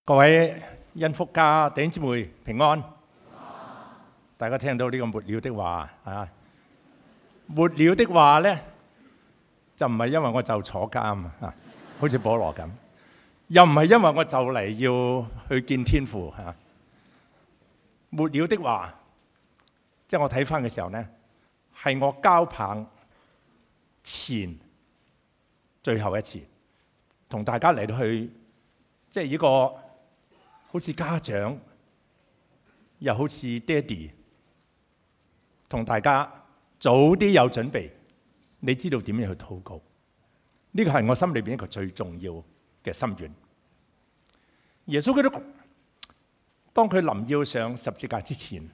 各位恩福家弟兄姊妹平安。大家聽到呢個末了的話啊，末了的話呢，就唔係因為我就坐監啊，好似保羅咁，又唔係因為我就嚟要去見天父啊。末了的話，即係我睇翻嘅時候呢，係我交棒前最後一次，同大家嚟到去，即係呢個好似家長，又好似爹哋，同大家早啲有準備，你知道點樣去禱告？呢個係我心裏邊一個最重要嘅心願。耶穌基督當佢臨要上十字架之前，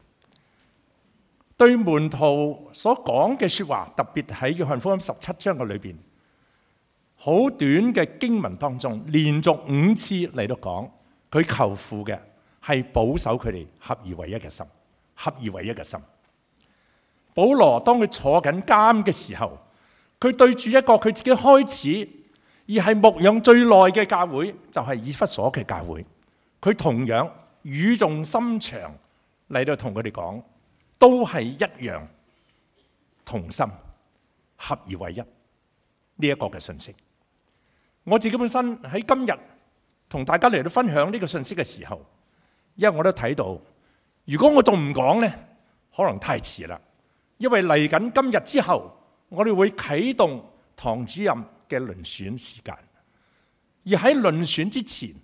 對門徒所講嘅說話，特別喺約翰福音17章嘅裏邊，好短嘅經文當中，連續5次嚟到講，佢求父嘅係保守佢哋合而為一嘅心，合而為一嘅心。保羅當佢坐緊監嘅時候，佢對住一個佢自己開始而係牧養最耐嘅教會，就係以弗所嘅教會，佢同樣語重心長嚟到同佢哋講，都係一樣同心合而為一呢一個嘅信息。我自己本身喺今日同大家嚟到分享呢個信息嘅時候，因為我都睇到，如果我仲唔講呢，可能太遲啦。因為嚟緊今日之後，我哋會啟動堂主任嘅遴選時間。而喺遴選之前，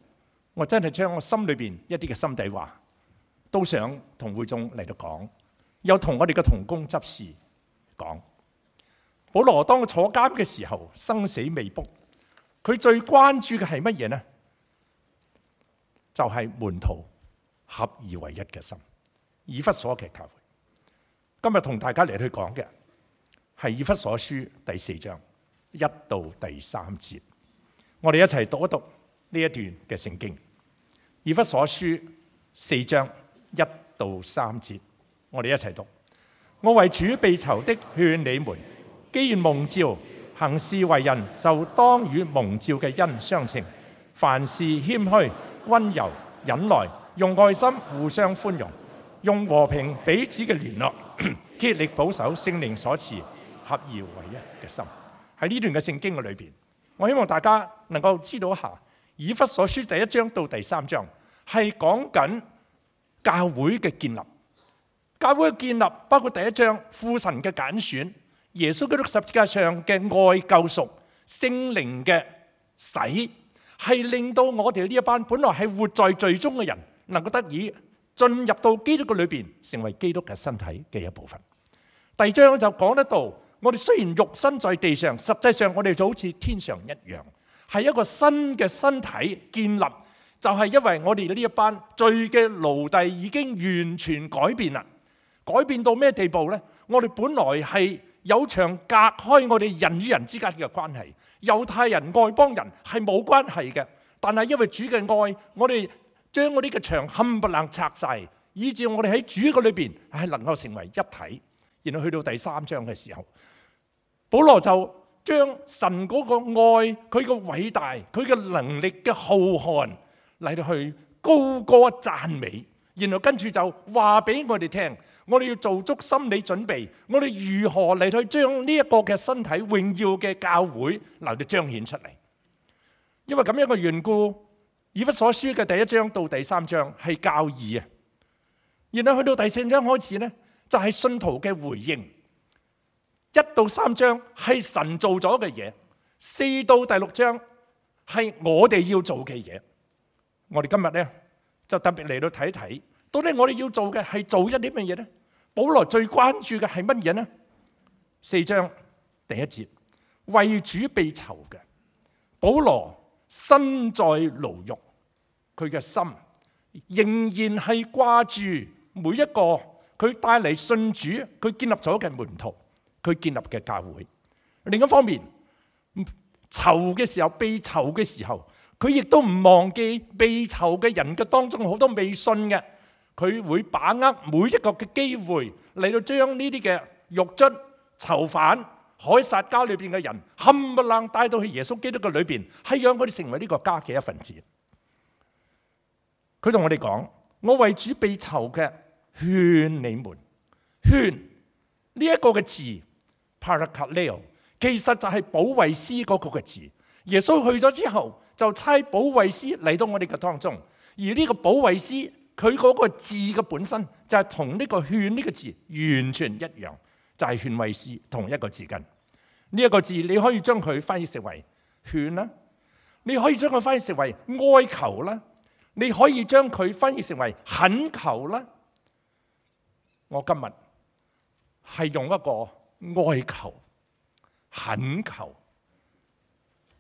我真係將我心裏邊一啲嘅心底話，都想同會眾嚟到講，又同我哋嘅同工執事講。保羅當佢坐監嘅時候，生死未卜，佢最關注嘅係乜嘢呢？就係門徒合而為一嘅心，以弗所嘅教會。今日同大家嚟去講嘅係以弗所書第4章1到第3節，我哋一齊讀一讀呢一段嘅聖經。以弗所書4章1到3節，我哋一齊讀。我為主被囚的勸你們，既然蒙召行事為人，就當與蒙召嘅恩相稱，凡事謙虛、溫柔、忍耐，用愛心互相寬容，用和平彼此嘅聯絡，竭力保守聖靈所賜合而為一嘅心。喺呢段嘅聖經嘅裏邊，我希望大家能夠知道一下，以弗所書第1章到第3章係講緊教會嘅建立。教會嘅建立包括第1章父神嘅揀選，耶穌基督十字架上嘅愛救贖，聖靈嘅洗，係令到我哋呢一班本來係活在罪中嘅人，能夠得以進入到基督嘅裏邊，成為基督嘅身體嘅一部分。第2章就講得到，我哋雖然肉身在地上，實際上我哋就好似天上一樣，係一個新嘅身體建立，就係因為我哋呢一班罪嘅奴隸已經完全改變啦。改變到咩地步呢？我哋本來係有牆隔開我哋人與人之間嘅關係，猶太人外邦人係冇關係嘅，但係因為主嘅愛，我哋將我哋嘅牆冚唪唥拆晒，以致我哋喺主嘅裏邊係能夠成為一體。然後去到第3章嘅時候，保羅就將神嗰個愛、佢嘅偉大、佢嘅能力嘅浩瀚嚟到去高歌讚美，然後跟住就話俾我哋聽，我哋要做足心理準備，我哋如何嚟去將呢一個嘅身體榮耀嘅教會嚟到彰顯出嚟。因為咁樣嘅緣故，以弗所書嘅第1章到第3章係教義啊，然後去到第4章開始呢，就係信徒嘅回應。1到3章係神做咗嘅嘢，4到第6章係我哋要做嘅嘢。我哋今日呢，就特別嚟到睇睇，到底我哋要做嘅係做一啲乜嘢呢？保羅最關注嘅係乜嘢呢？4章第1節，為主被囚嘅保羅身在牢獄，佢嘅心仍然係掛住每一個佢帶嚟信主，佢建立咗嘅門徒，佢建立嘅教會。另一方面，囚嘅時候，被囚嘅時候，佢亦都唔忘記被囚嘅人嘅當中好多未信嘅，佢會把握每一個嘅機會嚟到將呢啲嘅獄卒、囚犯、凱撒家裏邊嘅人冚唪唥帶到去耶穌基督嘅裏邊，係讓佢哋成為呢個家嘅一份子。佢同我哋講：我為主被囚嘅，勸你們。勸呢一個嘅字 parakaleo， 其實就係保惠師嗰個嘅字。耶穌去咗之後，就差保惠師嚟到我哋嘅當中。而呢個保惠師，佢嗰個字嘅本身就係同呢個勸呢個字完全一樣，就係勸慰師同一個字根。呢一個字你可以將佢翻譯成為勸啦，你可以將佢翻譯成為哀求啦，你可以將佢翻譯成為懇求啦。我今日係用一個哀求、懇求。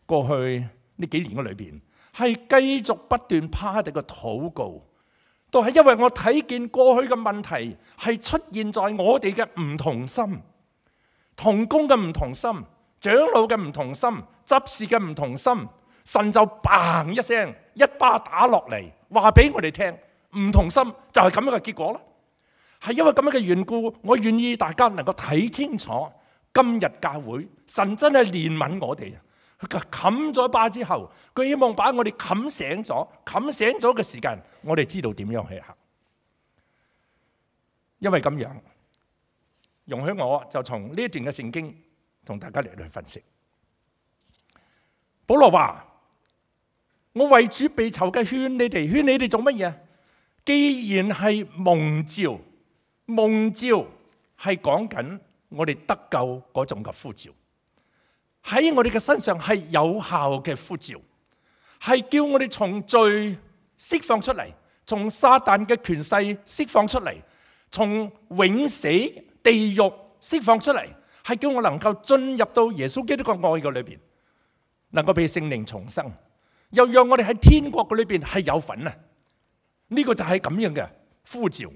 過去呢幾年嘅裏邊，係繼續不斷趴地嘅禱告，都係因為我睇見過去嘅問題係出現在我哋嘅唔同心，同工嘅唔同心，長老嘅唔同心，執事嘅唔同心，神就嘭一聲一巴打落嚟，話俾我哋聽，唔同心就係咁樣嘅結果啦。係因為咁樣嘅緣故，我願意大家能夠睇清楚今日教會，神真係憐憫我哋。佢冚咗一巴之後，佢希望把我哋冚醒咗嘅時間，我哋知道點樣去行。因為咁樣，容許我就從呢一段嘅聖經同大家嚟去分析。保羅話：我為主被囚嘅，勸你哋做乜嘢？既然係蒙召，蒙召係講緊我哋得救嗰種嘅呼召。喺我哋嘅身上係有效嘅呼召，係叫我哋從罪釋放出嚟，從撒旦嘅權勢釋放出嚟，從永死地獄釋放出嚟，係叫我能夠進入到耶穌基督嘅愛嘅裏邊，能夠被聖靈重生，又讓我哋喺天國嘅裏邊係有份啊！呢個就係咁樣嘅呼召。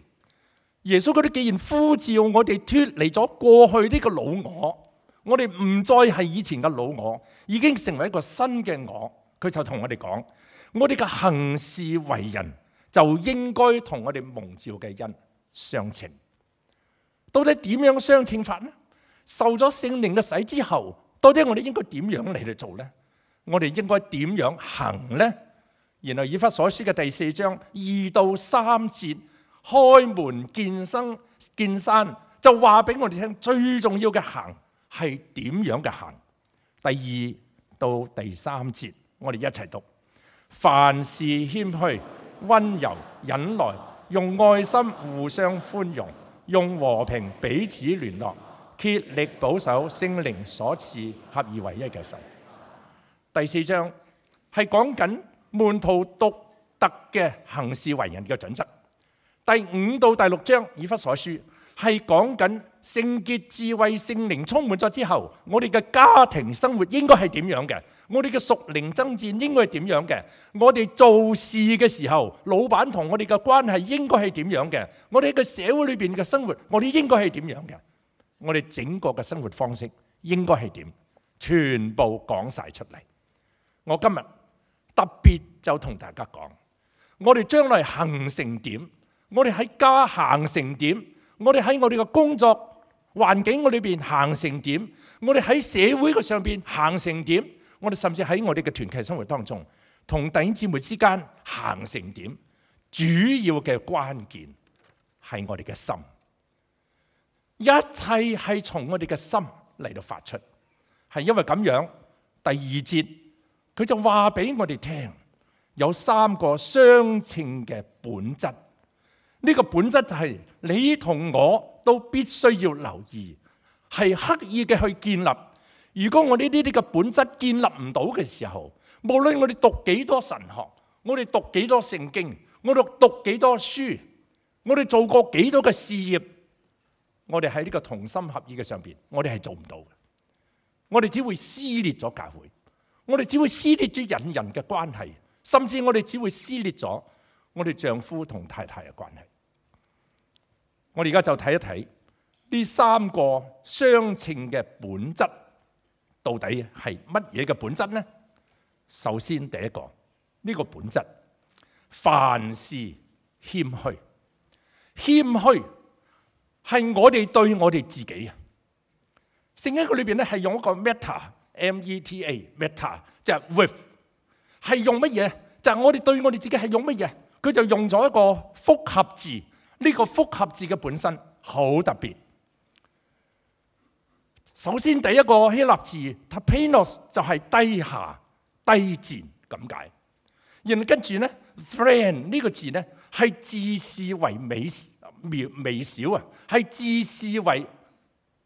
耶穌基督既然呼召我哋脫離咗過去呢個老我。我哋唔再係以前嘅老我，已經成為一個新嘅我。佢就同我哋講，我哋嘅行事為人就應該同我哋蒙召嘅恩相稱。到底點樣相稱法呢？受咗聖靈嘅洗之後，到底我哋應該點樣嚟去做呢？我哋應該點樣行呢？然後以弗所書嘅第4章2到3節，開門見山，就話俾我哋聽最重要嘅行係點樣嘅行？第2到第3節，我哋一齊讀：凡事謙虛、溫柔、忍耐，用愛心互相寬容，用和平彼此聯絡，竭力保守聖靈所賜合而為一嘅心。第4章係講緊門徒獨特嘅行事為人嘅準則。第5到第6章以弗所書係講緊聖潔智慧聖靈充滿咗之後，我哋嘅家庭生活應該係點樣嘅？我哋嘅屬靈爭戰應該係點樣嘅？我哋做事嘅時候，老闆同我哋嘅關係應該係點樣嘅？我哋喺個社會裏邊嘅生活，我哋應該係點樣嘅？我哋整個嘅生活方式應該係點？全部講晒出嚟。我今日特別就同大家講，我哋將來行成點？我哋喺家行成點？我哋喺我哋嘅工作環境裏邊行成點？我哋喺社會嘅上邊行成點？我哋甚至喺我哋嘅團契生活當中，同弟兄姊妹之間行成點？主要嘅關鍵係我哋嘅心，一切係從我哋嘅心嚟到發出。係因為咁樣，第2節佢就話俾我哋聽，有3個相稱嘅本質。呢個本質就係你同我都必須要留意，係刻意嘅去建立。如果我哋呢啲嘅本質建立唔到嘅時候，無論我哋讀幾多神學，我哋讀幾多聖經，我哋讀幾多書，我哋做過幾多嘅事業，我哋喺呢個同心合意嘅上邊，我哋係做唔到嘅。我哋只會撕裂咗教會，我哋只會撕裂咗人嘅關係，甚至我哋只會撕裂咗我哋丈夫同太太嘅關係。我哋而家就睇一睇呢3個相稱嘅本質到底係乜嘢嘅本質呢？首先第一個，呢個本質，凡事謙虛。謙虛係我哋對我哋自己啊。聖經佢裏邊咧係用一個 meta， meta 就係 with， 係用乜嘢？就係我哋對我哋自己係用乜嘢？佢就用咗一個複合字。呢個複合字嘅本身好特別。首先第一個希臘字 tapeinos 就係低下、低賤咁解。然後跟住咧 friend 呢個字咧係自視為微小啊，係自視為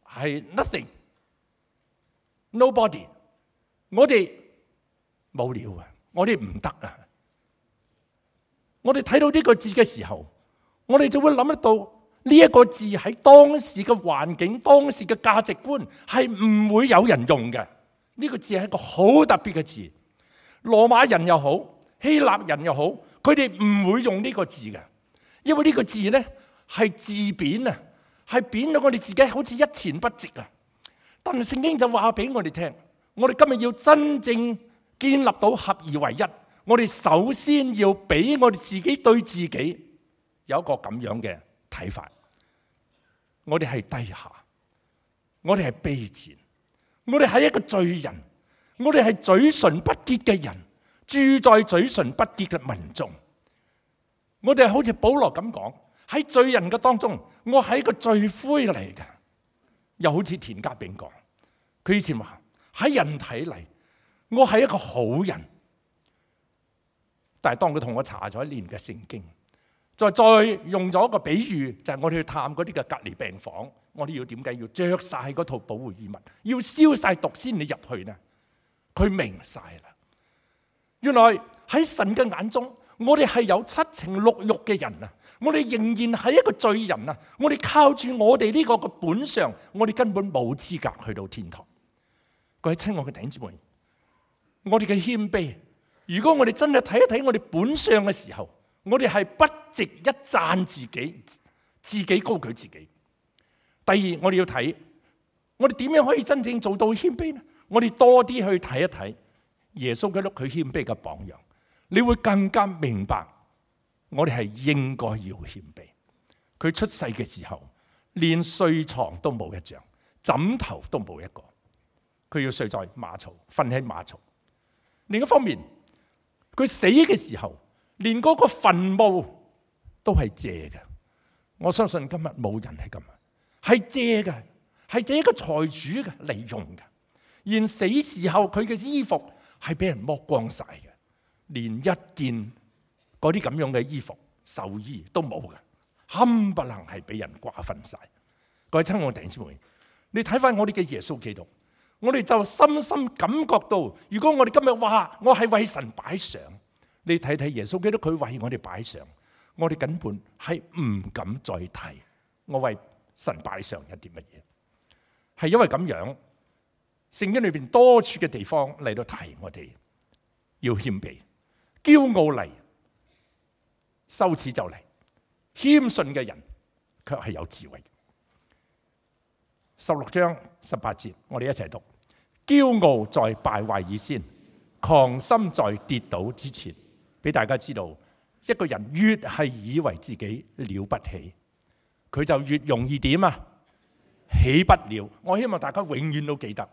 係 nothing、nobody。我哋冇料啊，我哋唔得啊。我哋睇到呢個字嘅時候，我哋就會諗得到呢一個字喺當時嘅環境、當時嘅價值觀係唔會有人用嘅。呢個字係一個好特別嘅字。羅馬人又好，希臘人又好，佢哋唔會用呢個字嘅，因為呢個字呢係自貶啊，係貶到我哋自己好似一錢不值啊。但係聖經就話俾我哋聽，我哋今日要真正建立到合而為一，我哋首先要俾我哋自己對自己有一個咁樣嘅睇法，我哋係低下，我哋係卑賤，我哋係一個罪人，我哋係嘴唇不潔嘅人，住在嘴唇不潔嘅民眾。我哋好似保羅咁講，喺罪人嘅當中，我係一個罪魁嚟嘅。又好似田家炳講，佢以前話喺人睇嚟，我係一個好人，但係當佢同我查咗一年嘅聖經，再用咗一個比喻，就係我哋去探嗰啲嘅隔離病房，我哋要點解要着晒嗰套保護衣物，要消晒毒先你入去呢？佢明晒啦，原來喺神嘅眼中，我哋係有七情六欲嘅人啊！我哋仍然係一個罪人啊！我哋靠住我哋呢個嘅本相，我哋根本冇資格去到天堂。各位親愛嘅弟兄姊妹，我哋嘅謙卑，如果我哋真係睇一睇我哋本相嘅時候，我哋係不值一讚自己，自己高舉自己。第二，我哋要睇我哋點樣可以真正做到謙卑呢？我哋多啲去睇一睇耶穌基督佢謙卑嘅榜樣，你會更加明白我哋係應該要謙卑。佢出世嘅時候，連睡床都冇一張，枕頭都冇一個，佢要睡在馬槽，瞓喺馬槽。另一方面，佢死嘅時候，連嗰個墳墓都係借嘅。我相信今日冇人係咁，係借嘅，係借一個財主嘅嚟用嘅。而死時候佢嘅衣服係俾人剝光晒嘅，連一件嗰啲咁樣嘅衣服壽衣都冇嘅，冚唪唥係俾人瓜分晒。各位親愛弟兄姊妹，你睇翻我哋嘅耶穌基督，我哋就深深感覺到，如果我哋今日話我係為神擺上，你睇睇耶穌基督佢為我哋擺上，我哋根本係唔敢再提我為神擺上一啲乜嘢，係因為咁樣。聖經裏邊多處嘅地方嚟到提我哋要謙卑，驕傲嚟，羞恥就嚟，謙遜嘅人卻係有智慧。16章18節，我哋一齊讀：驕傲在敗壞以先，狂心在跌倒之前。俾大家知道，一個人越係以為自己了不起，佢就越容易點啊？起不了。我希望大家永遠都記得。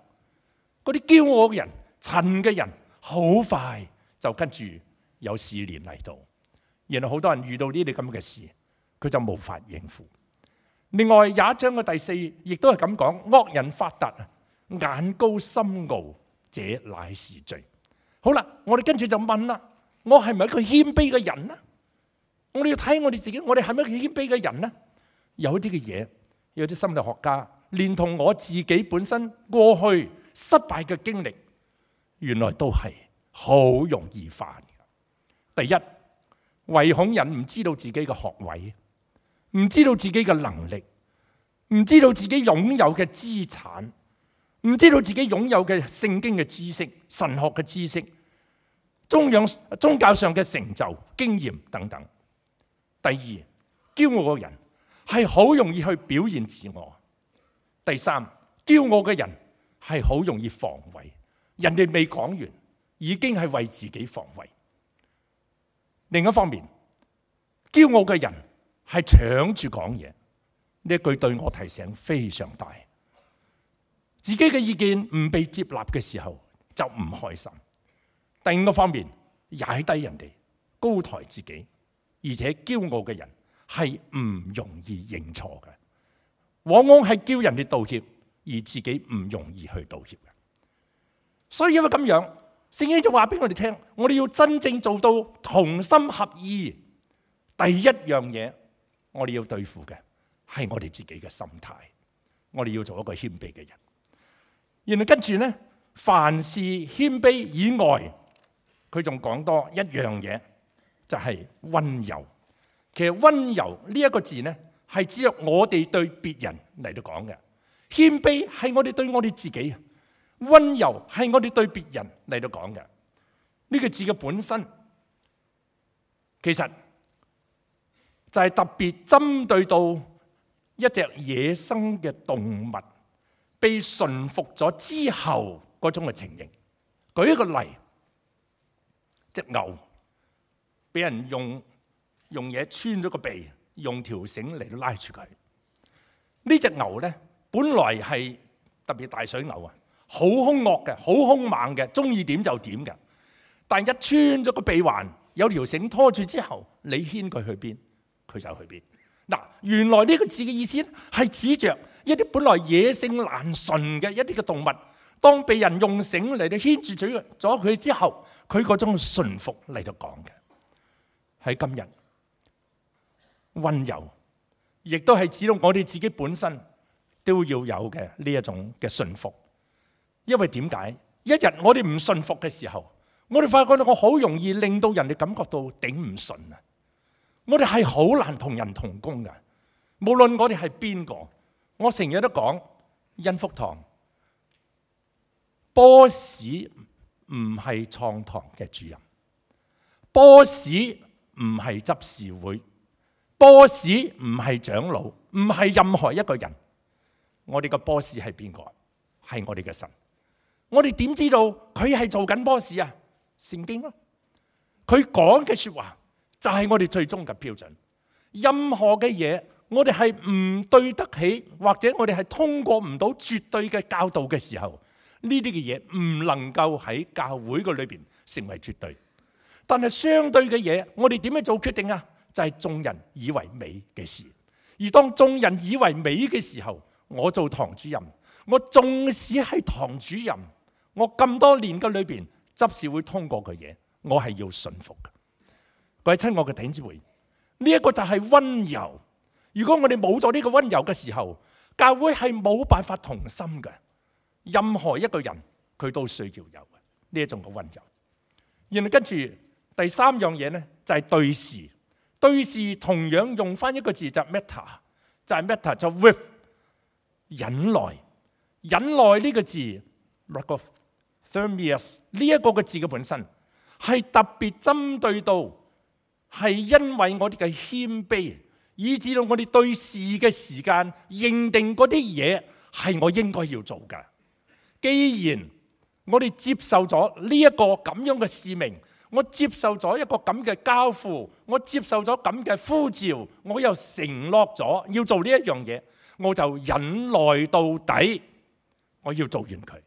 嗰啲驕傲嘅人、蠢嘅人，好快就跟住有試煉嚟到，然後好多人遇到呢啲咁嘅事，佢就無法應付。另外廿一章嘅第4，亦都係咁講：惡人發達，眼高心傲，這乃是罪。好啦，我哋跟住就問啦：我係咪一個謙卑嘅人呢？我哋要睇我哋自己，我哋係咪一個謙卑嘅人呢？有啲嘅嘢，有啲心理學家連同我自己本身過去失敗嘅經歷，原來都係好容易犯嘅。第一，唯恐人唔知道自己嘅學位，唔知道自己嘅能力，唔知道自己擁有嘅資產，唔知道自己擁有嘅聖經嘅知識、神學嘅知識、宗教上嘅成就、經驗等等。第二，驕傲嘅人係好容易去表現自我。第三，驕傲嘅人係好容易防衛，人哋未講完，已經係為自己防衛。另一方面，驕傲嘅人係搶住講嘢，呢一句對我提醒非常大。自己嘅意見唔被接納嘅時候，就唔開心。另一個方面，踩低人哋，高抬自己，而且驕傲嘅人係唔容易認錯嘅，往往係叫人哋道歉，而自己唔容易去道歉嘅。所以因為咁樣，聖經就話俾我哋聽，我哋要真正做到同心合意。第一樣嘢，我哋要對付嘅係我哋自己嘅心態，我哋要做一個謙卑嘅人。然後跟住呢，凡事謙卑以外，佢仲講多一樣嘢，就係溫柔。其實溫柔呢一個字呢，係指我哋對別人嚟到講嘅，謙卑係我哋對我哋自己，溫柔係我哋對別人嚟到講嘅。呢個字嘅本身，其實就係特別針對到一隻野生嘅動物被馴服咗之後嗰種嘅情形。舉一個例，隻牛俾人用嘢穿咗個鼻，用條繩嚟到拉住佢。呢隻牛呢，本來係特別大水牛啊，好兇惡嘅，好兇猛嘅，中意點就點嘅。但一穿咗個鼻環，有條繩拖住之後，你牽佢去邊，佢就去邊。嗱，原來呢個字嘅意思係指着一啲本來野性難馴嘅一啲嘅動物，當被人用繩嚟到牽住咗佢之後，佢嗰種馴服嚟到講嘅。喺今日，溫柔亦都係指到我哋自己本身都要有嘅呢一種嘅馴服。因為點解？一日我哋唔馴服嘅時候，我哋發覺到我好容易令到人哋感覺到頂唔順啊！我哋係好難同人同工噶，無論我哋係邊個。我成日都講恩福堂，boss 唔係創堂嘅主任，boss 唔係執事會，boss 唔係長老，唔係任何一個人。我哋個 boss 係邊個？係我哋嘅神。我哋點知道佢係做緊 boss 啊？聖經咯，佢講嘅說話就係我哋最終嘅標準。任何嘅嘢，我哋係唔對得起，或者我哋係通過唔到絕對嘅教導嘅時候，呢啲嘅嘢唔能夠喺教會嘅裏邊成為絕對。但係相對嘅嘢，我哋點樣做決定啊？就係眾人以為美嘅事。而當眾人以為美嘅時候，我做堂主任，我縱使係堂主任，我咁多年嘅裏邊，執事會通過嘅嘢，我係要順服嘅。各位親愛嘅弟兄姊妹，呢一個就係溫柔。如果我哋冇咗呢個溫柔嘅時候，教會係冇辦法同心嘅。任何一個人佢都需要有呢一種嘅溫柔。然後跟住第三樣嘢呢，就係對事。對事同樣用翻一個字就係 meta， 就係 meta 就 with 忍耐。忍耐呢個字 thermius 呢一個嘅字嘅本身係特別針對到係因為我哋嘅謙卑，以至到我哋對事嘅時間認定嗰啲嘢係我應該要做嘅。既然我哋接受咗呢一個咁樣嘅使命，我接受咗一個咁嘅交付，我接受咗咁嘅呼召，我又承諾咗要做呢一樣嘢，我就忍耐到底，我要做完佢。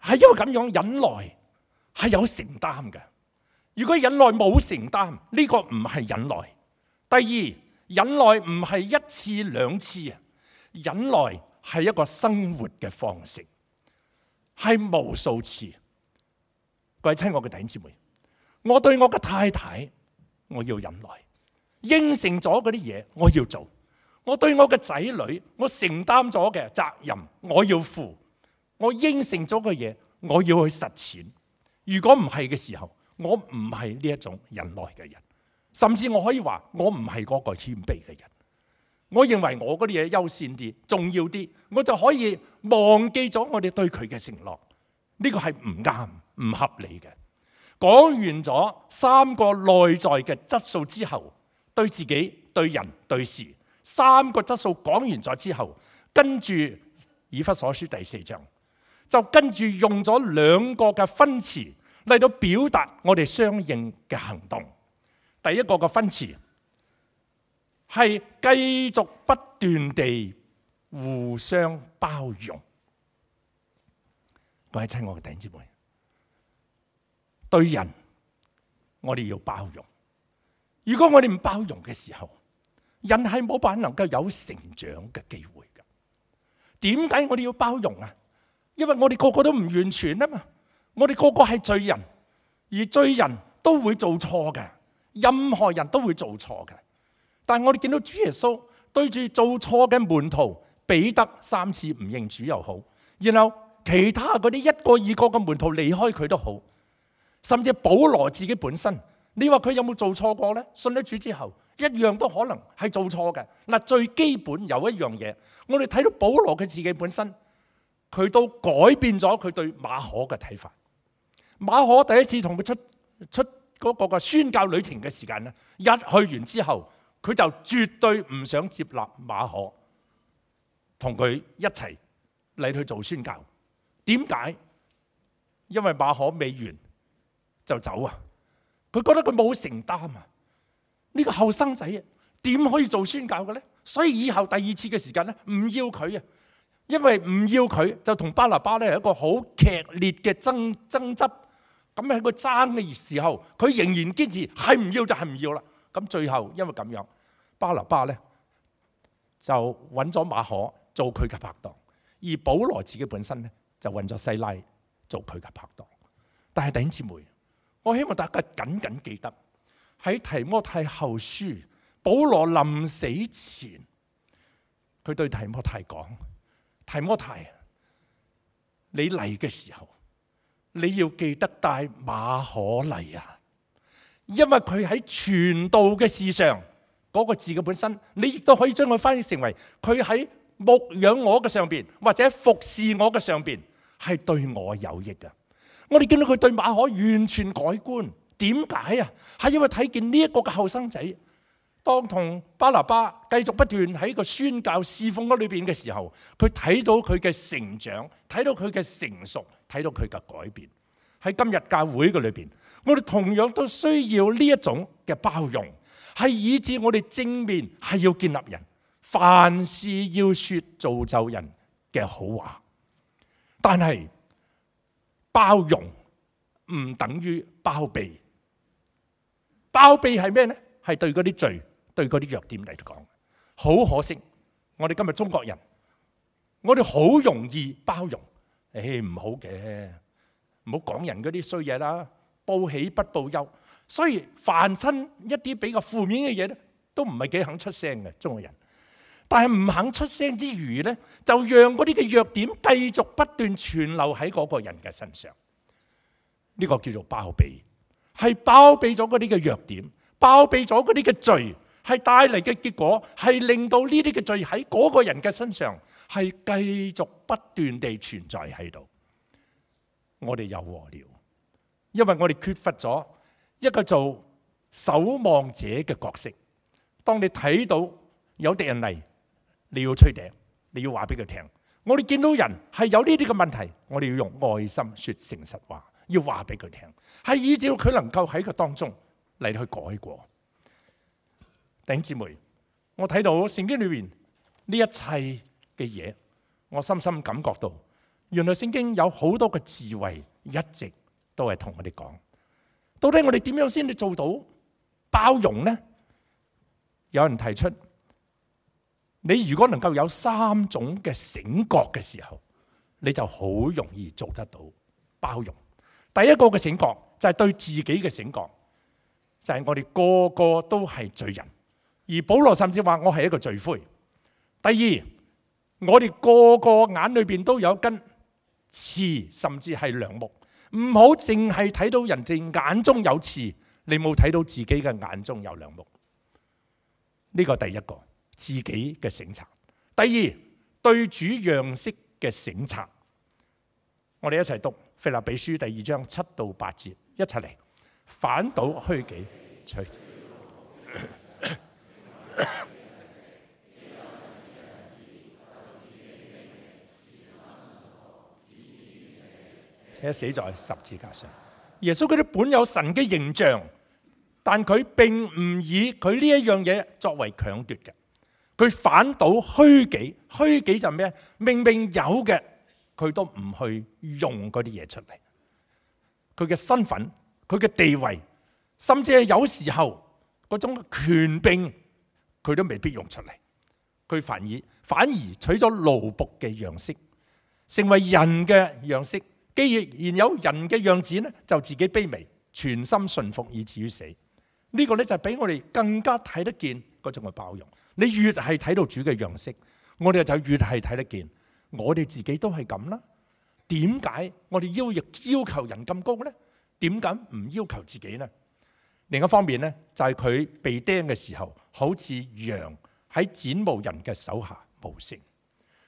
係因為咁樣忍耐係有承擔嘅。如果忍耐冇承擔，呢個唔係忍耐。第二，忍耐唔係一次兩次啊，忍耐係一個生活嘅方式，係無數次。各位親愛嘅弟兄姊妹，我對我嘅太太，我要忍耐，應承咗嗰啲嘢我要做。我對我嘅仔女，我承擔咗嘅責任我要負。我應承咗嘅嘢，我要去實踐。如果唔係嘅時候，我唔係呢一種忍耐嘅人，甚至我可以話我唔係嗰個謙卑嘅人。我認為我嗰啲嘢優先啲、重要啲，我就可以忘記咗我哋對佢嘅承諾。呢個係唔啱、唔合理嘅。講完咗三個內在嘅質素之後，對自己、對人、對事，三個質素講完咗之後，跟住以弗所書第4章，就跟住用咗兩個嘅分詞嚟到表達我哋相應嘅行動。第一個嘅分詞係繼續不斷地互相包容。各位親愛嘅弟兄姊妹，對人我哋要包容，如果我哋唔包容嘅時候，人係冇辦法能夠有成長嘅機會㗎。點解我哋要包容啊？因為我哋個個都唔完全啊嘛，我哋個個係罪人，而罪人都會做錯嘅，任何人都會做錯嘅。但係我哋見到主耶穌對住做錯嘅門徒彼得3次唔認主又好，然後其他嗰啲一個二個嘅門徒離開佢都好，甚至保羅自己本身，你話佢有冇做錯過呢？信咗主之後，一樣都可能係做錯嘅。嗱，最基本有一樣嘢，我哋睇到保羅佢自己本身，佢都改變咗佢對馬可嘅睇法。馬可第一次同佢出嗰個嘅宣教旅程嘅時間咧，一去完之後，佢就絕對唔想接納馬可同佢一齊嚟去做宣教。點解？因為馬可未完就走啊！佢覺得佢冇承擔啊！呢個後生仔點可以做宣教嘅呢？所以以後第二次嘅時間咧，唔要佢啊！因為唔要佢，就同巴拿巴咧係一個好劇烈嘅爭執。咁喺個爭嘅時候，佢仍然堅持係唔要就係唔要啦。咁最後因為咁樣，巴拿巴咧就揾咗馬可做佢嘅拍檔，而保羅自己本身咧就揾咗西拉做佢嘅拍檔。但係弟兄姊妹，我希望大家緊緊記得喺提摩太後書，保羅臨死前，佢對提摩太講：提摩太，你嚟嘅時候，你要記得帶馬可嚟啊！因為佢喺傳道嘅事上嗰個字嘅本身，你亦都可以將佢翻譯成為佢喺牧養我嘅上邊，或者服侍我嘅上邊，係對我有益嘅。我哋見到佢對馬可完全改觀，點解啊？係因為睇見呢一個嘅後生仔，當同巴拿巴繼續不斷喺個宣教侍奉嗰裏邊嘅時候，佢睇到佢嘅成長，睇到佢嘅成熟，睇到佢嘅改變。喺今日教會嘅裏邊，我哋同樣都需要呢一種嘅包容，係以致我哋正面係要建立人，凡事要說造就人嘅好話。但係包容唔等於包庇，包庇係咩呢？係對嗰啲罪，對嗰啲弱點嚟講。好可惜，我哋今日中國人，我哋好容易包容，唔好嘅，唔好講人嗰啲衰嘢啦，報喜不報憂，所以凡親一啲比較負面嘅嘢咧，都唔係幾肯出聲嘅中國人。但係唔肯出聲之餘咧，就讓嗰啲嘅弱點繼續不斷存留喺嗰個人嘅身上。呢個叫做包庇，係包庇咗嗰啲嘅弱點，包庇咗嗰啲嘅罪，係帶嚟嘅結果係令到呢啲嘅罪喺嗰個人嘅身上係繼續不斷地存在喺度。我哋有禍了，因為我哋缺乏咗一個做守望者嘅角色。當你睇到有敵人嚟，你要吹笛，你要話俾佢聽。我哋見到人係有呢啲嘅問題，我哋要用愛心說誠實話，要話俾佢聽，係以至佢能夠喺個當中嚟去改過。弟兄姊妹，我睇到聖經裏面呢一切嘅嘢，我深深感覺到，原來聖經有好多嘅智慧，一直都係同我哋講，到底我哋點樣先至做到包容呢？有人提出，你如果能夠有3種嘅醒覺嘅時候，你就好容易做得到包容。第一個嘅醒覺就係對自己嘅醒覺，就係我哋個個都係罪人，而保羅甚至話我係一個罪魁。第二，我哋個個眼裏邊都有根刺，甚至係梁木，唔好淨係睇到人哋眼中有刺，你冇睇到自己嘅眼中有梁木。呢個第一個自己嘅省察。第二，對主樣式嘅省察。我哋一齊讀腓立比書第2章7到8節，一齊嚟。反倒虛己，且死在十字架上。耶穌佢哋本有神嘅形象，但佢並唔以佢呢一樣嘢作為強奪嘅，佢反倒虛己。虛己就咩？明明有嘅，佢都唔去用嗰啲嘢出嚟。佢嘅身份，佢嘅地位，甚至係有時候嗰嗰種權柄，佢都未必用出嚟。佢反而取咗奴僕嘅樣式，成為人嘅樣式。既然有人嘅樣子咧，就自己卑微，全心順服以至於死。呢個咧就俾我哋更加睇得見嗰種嘅包容。你越係睇到主嘅樣式，我哋就越係睇得見，我哋自己都係咁啦。點解我哋要求人咁高呢？點解唔要求自己呢？另一方面呢，就係佢被釘嘅時候，好似羊喺剪毛人嘅手下無聲。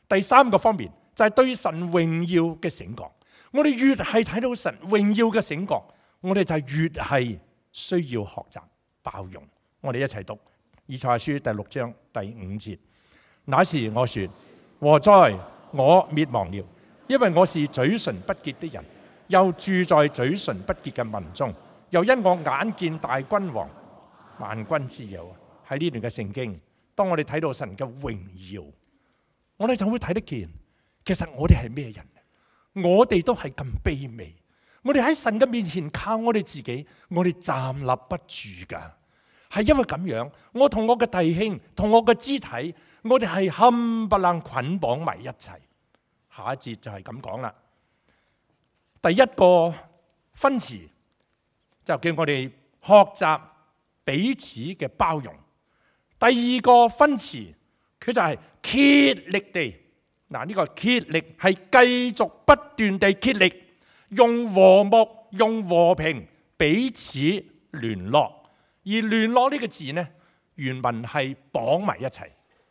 第三個方面就係對神榮耀嘅醒覺。我哋越係睇到神榮耀嘅醒覺，我哋就越係需要學習包容。我哋一齊讀以賽亞書第6章第5節。那時我說：禍哉，我滅亡了，因為我是嘴唇不潔的人，又住在嘴唇不潔嘅民中，又因我眼見大君王萬軍之耶和華。喺呢段嘅聖經，當我哋睇到神嘅榮耀，我哋就會睇得見，其實我哋係咩人？我哋都係咁卑微，我哋喺神嘅面前靠我哋自己，我哋站立不住噶。係因為咁樣，我同我嘅弟兄，同我嘅肢體，我哋係冚唪唥捆綁埋一齊。下一節就係咁講啦。第一個分詞就叫我哋學習彼此嘅包容。第二個分詞佢就係竭力地。嗱，呢個竭力係繼續不斷地竭力，用和睦、用和平彼此聯絡。而聯絡呢個字呢，原文係綁埋一齊，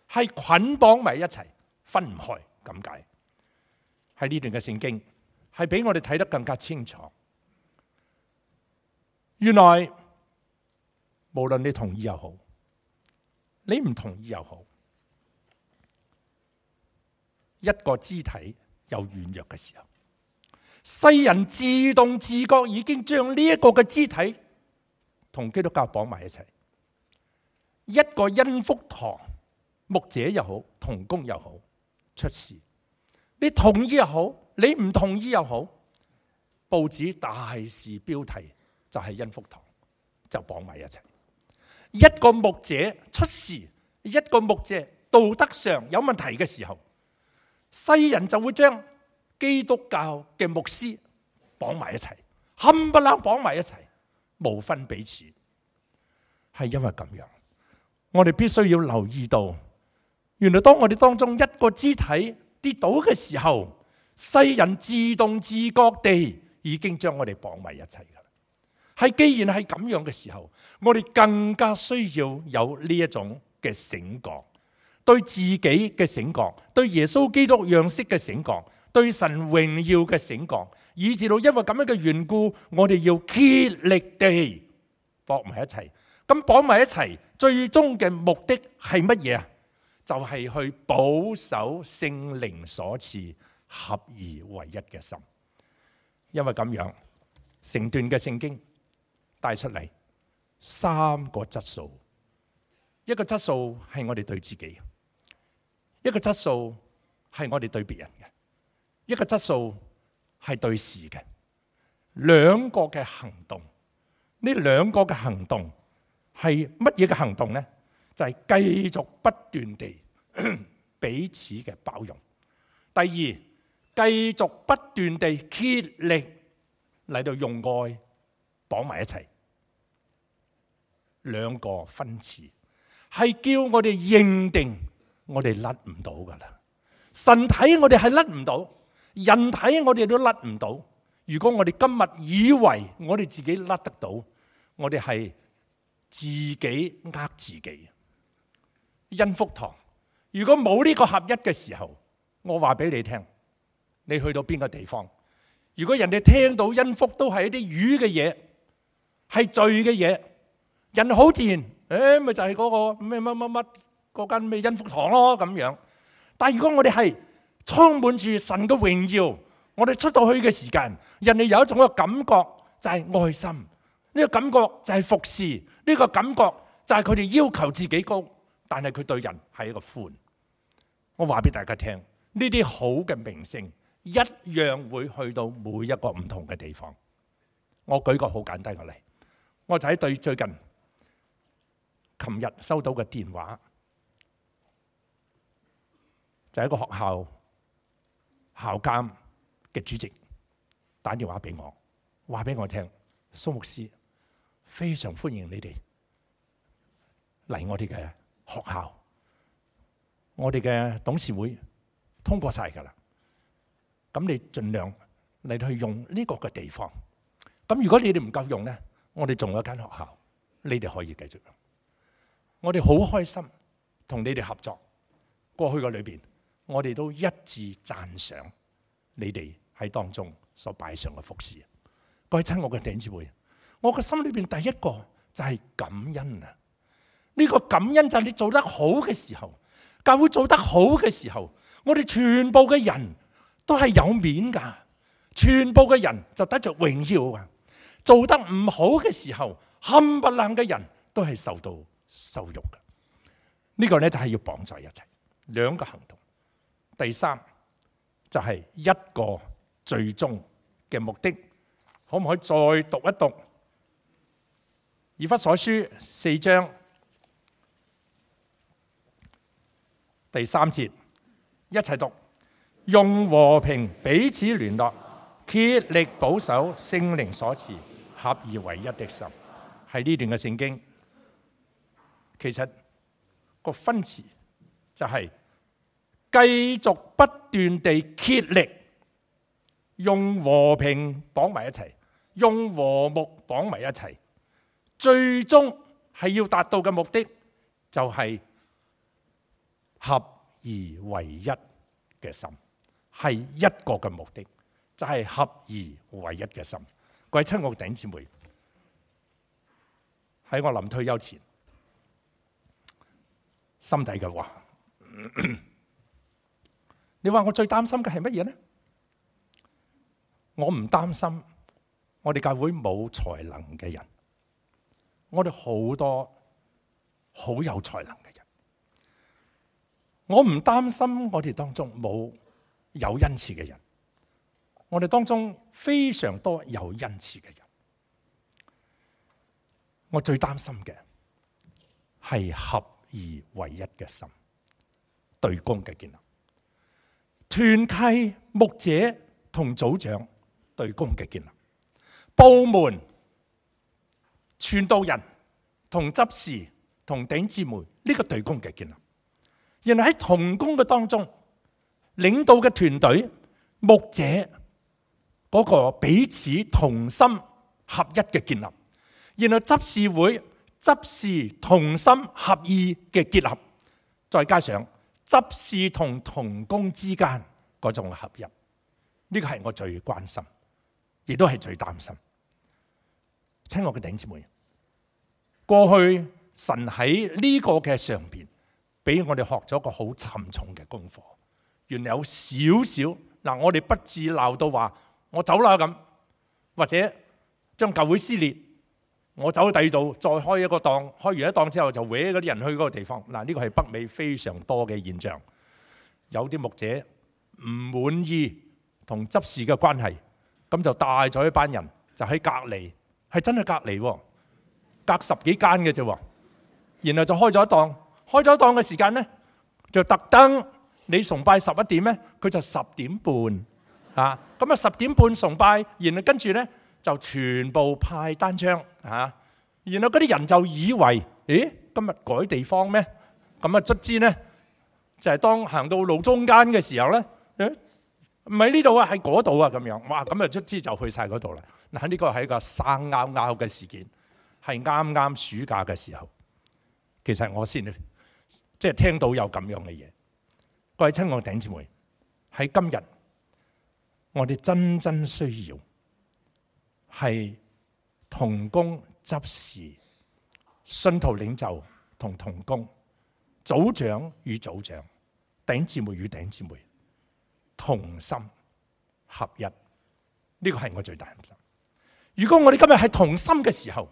係捆綁埋一齊，分唔開咁解。喺呢段嘅聖經係俾我哋睇得更加清楚。原來無論你同意又好，你唔同意又好，一個肢體有軟弱嘅時候，世人自動自覺已經將呢一個嘅肢體同基督教綁埋一齊。一個恩福堂牧者又好，同工又好，出事，你同意又好，你唔同意又好，報紙大事標題就係恩福堂，就綁埋一齊。一個牧者出事，一個牧者道德上有問題嘅時候，世人就會將基督教嘅牧師綁埋一齊，冚唪唥綁埋一齊，無分彼此。係因為咁樣，我哋必須要留意到，原來當我哋當中一個肢體跌倒嘅時候，世人自動自覺地已經將我哋綁埋一齊噶啦。係既然係咁樣嘅時候，我哋更加需要有呢一種嘅醒覺。對自己嘅醒覺，對耶穌基督樣式嘅醒覺，對神榮耀嘅醒覺，以至到因為咁樣嘅緣故，我哋要竭力地綁埋一齊。咁綁埋一齊，最終嘅目的係乜嘢啊？就係去保守聖靈所賜合而為一嘅心。因為咁樣，成段嘅聖經帶出嚟3個質素。一個質素係我哋對自己，一個質素係我哋對別人嘅，一個質素係對事嘅。兩個嘅行動，呢兩個嘅行動係乜嘢嘅行動呢？就係繼續不斷地彼此嘅包容。第二，繼續不斷地竭力嚟到用愛綁埋一齊。兩個分詞係叫我哋認定我哋甩唔到噶啦。神睇我哋係甩唔到，人睇我哋都甩唔到。如果我哋今日以為我哋自己甩得到，我哋係自己呃自己。恩福堂如果冇呢個合一嘅時候，我話俾你聽，你去到邊個地方，如果人哋聽到恩福都係一啲魚嘅嘢，係罪嘅嘢，人好自然，咪就係嗰個咩乜乜乜嗰間咩恩福堂咯咁樣。但係如果我哋係充滿住神嘅榮耀，我哋出到去嘅時間，人哋有一種嘅感覺就係愛心，呢個感覺就係服侍，呢個感覺就係佢哋要求自己高，但係佢對人係一個寬。我話俾大家聽，呢啲好嘅名聲一樣會去到每一個唔同嘅地方。我舉個好簡單嘅例，我就喺最近琴日收到嘅電話，就係一個學校校監嘅主席打電話俾我，話俾我聽，蘇牧師非常歡迎你哋嚟我哋嘅學校，我哋嘅董事會通過晒㗎啦。咁你盡量嚟去用呢個嘅地方。咁如果你哋唔夠用呢，我哋仲有一間學校，你哋可以繼續用。我哋好開心同你哋合作。過去嘅裏邊，我哋都一致讚賞你哋喺當中所擺上嘅服侍。各位親愛嘅弟兄姊妹，我嘅心裏邊第一個就係感恩啊！呢個感恩就係你做得好嘅時候，教會做得好嘅時候，我哋全部嘅人都係有面噶，全部嘅人就得着榮耀啊！做得唔好嘅時候，冚唪唥嘅人都係受到羞辱嘅。呢個咧就係要綁在一齊，兩個行動。第三就係一個最終嘅目的，可唔可以再讀一讀以弗所書4章第3節，一齊讀，用和平彼此聯絡，竭力保守聖靈所賜合而為一的心。喺呢段嘅聖經，其實個分詞就係繼續不斷地竭力，用和平綁埋一齊，用和睦綁埋一齊，最終係要達到嘅目的就係合而為一嘅心，係一個嘅目的，就係合而為一嘅心。各位親愛嘅弟兄姊妹，喺我臨退休前，心底嘅話，你話我最擔心嘅係乜嘢呢？我唔擔心我哋教會冇才能嘅人，我哋好多好有才能嘅人。我唔擔心我哋當中冇有恩賜嘅人，我哋當中非常多有恩賜嘅人。我最擔心嘅係合而為一嘅心，對公嘅建立，團契牧者同組長對公嘅建立，部門傳道人同執事同弟兄姊妹呢個對公嘅建立。然後喺同工嘅當中，領導嘅團隊牧者嗰個彼此同心合一嘅建立，然後執事會執事同心合意嘅結合，再加上執事同同工之間嗰種合一，呢個係我最關心，亦都係最擔心。親愛嘅弟兄姊妹，過去神喺呢個嘅上邊俾我哋學咗個好沉重嘅功課，原來有少少嗱，我哋不至鬧到話我走啦咁，或者將教會撕裂，我走去第二度再開一個檔，開完一檔之後就搲嗰啲人去嗰個地方。嗱，呢個係北美非常多嘅現象。有啲牧者唔滿意同執事嘅關係，咁就帶咗一班人就喺隔離，係真係隔離喎，隔10幾間嘅啫。然後就開咗一檔。開咗檔嘅時間呢，就特登你崇拜11點呢，佢就10點半啊。咁啊10點半崇拜，然後跟住呢就全部派單張啊。然後嗰啲人就以為，咦，今日改地方咩？咁啊卒之呢，就係當行到路中間嘅時候呢，唔係呢度啊，係嗰度啊咁樣。哇！咁啊卒之就去晒嗰度啦。嗱，呢個係一個生拗拗嘅事件，係啱啱暑假嘅時候。其實我先即係聽到有咁樣嘅嘢，各位親愛弟兄姊妹，喺今日我哋真正需要係同工執事、信徒領袖同同工、組長與組長、弟兄姊妹與弟兄姊妹同心合一，呢個係我最大擔心。如果我哋今日係同心嘅時候，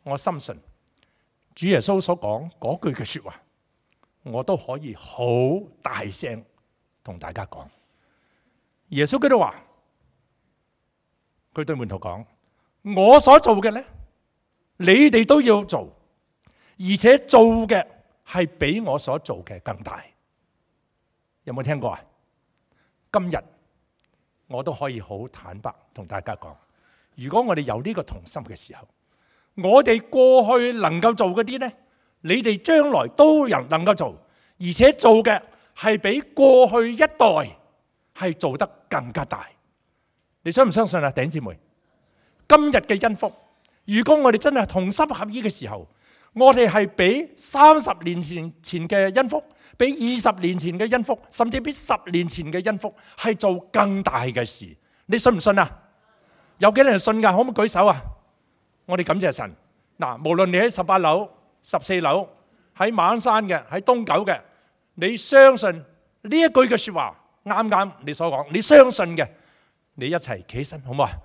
我深信主耶穌所講嗰句嘅說話，我都可以好大聲同大家講。耶穌基督話，佢對門徒講：我所做嘅咧，你哋都要做，而且做嘅係比我所做嘅更大。有冇聽過啊？今日我都可以好坦白同大家講，如果我哋有呢個同心嘅時候，我哋過去能夠做嗰啲呢，你哋將來都能夠做，而且做嘅係比過去一代係做得更加大。你相唔相信啊，弟兄姊妹？今日嘅恩福，如果我哋真係同心合意嘅時候，我哋係比30年前嘅恩福，比20年前嘅恩福，甚至比10年前嘅恩福係做更大嘅事。你信唔信啊？有幾多人信㗎？可唔可以舉手啊？我哋感謝神。嗱，無論你喺18樓、14樓，喺馬鞍山嘅，喺東九嘅，你相信呢一句嘅說話，啱啱你所講，你相信嘅，你一齊企起身，好唔好啊？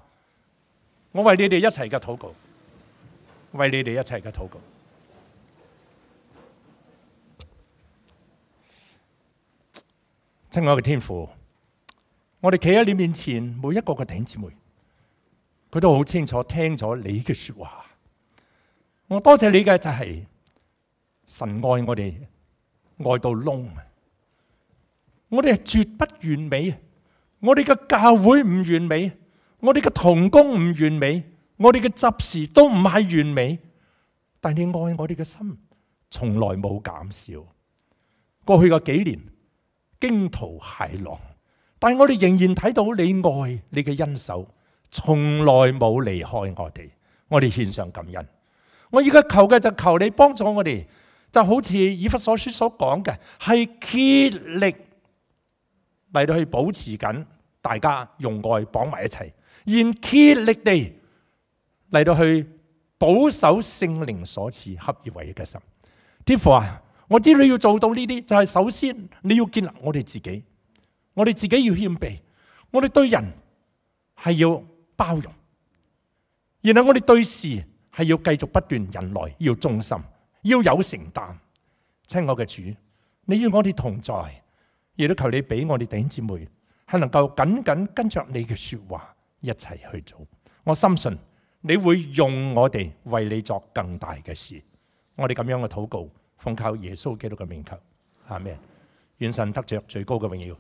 我為你哋一齊嘅禱告，為你哋一齊嘅禱告。親愛嘅天父，我哋企喺你面前，每一個嘅弟兄姊妹，佢都好清楚聽咗你嘅說話。我多謝你嘅就係神愛我哋，愛到窿。我哋係絕不完美，我哋嘅教會唔完美，我哋嘅同工唔完美，我哋嘅執事都唔係完美，但你愛我哋嘅心從來冇減少。過去嘅幾年驚濤駭浪，但我哋仍然睇到你愛，你嘅恩手從來冇離開我哋。我哋獻上感恩。我而家求嘅就求你幫助我哋，就好似以弗所書所講嘅，係竭力嚟到去保持緊大家用愛綁埋一齊，然竭力地嚟到去保守聖靈所賜合而為一嘅心。天父啊，我知道你要做到呢啲，就係首先你要建立我哋自己，我哋自己要謙卑，我哋對人係要包容，然後我哋對事係要繼續不斷忍耐，要忠心，要有承擔。親愛嘅主，你與我哋同在，亦都求你俾我哋弟兄姊妹係能夠緊緊跟着你嘅說話一齊去做。我深信你會用我哋為你作更大嘅事。我哋咁樣嘅禱告，奉靠耶穌基督嘅名求，阿們。願神得着最高嘅榮耀。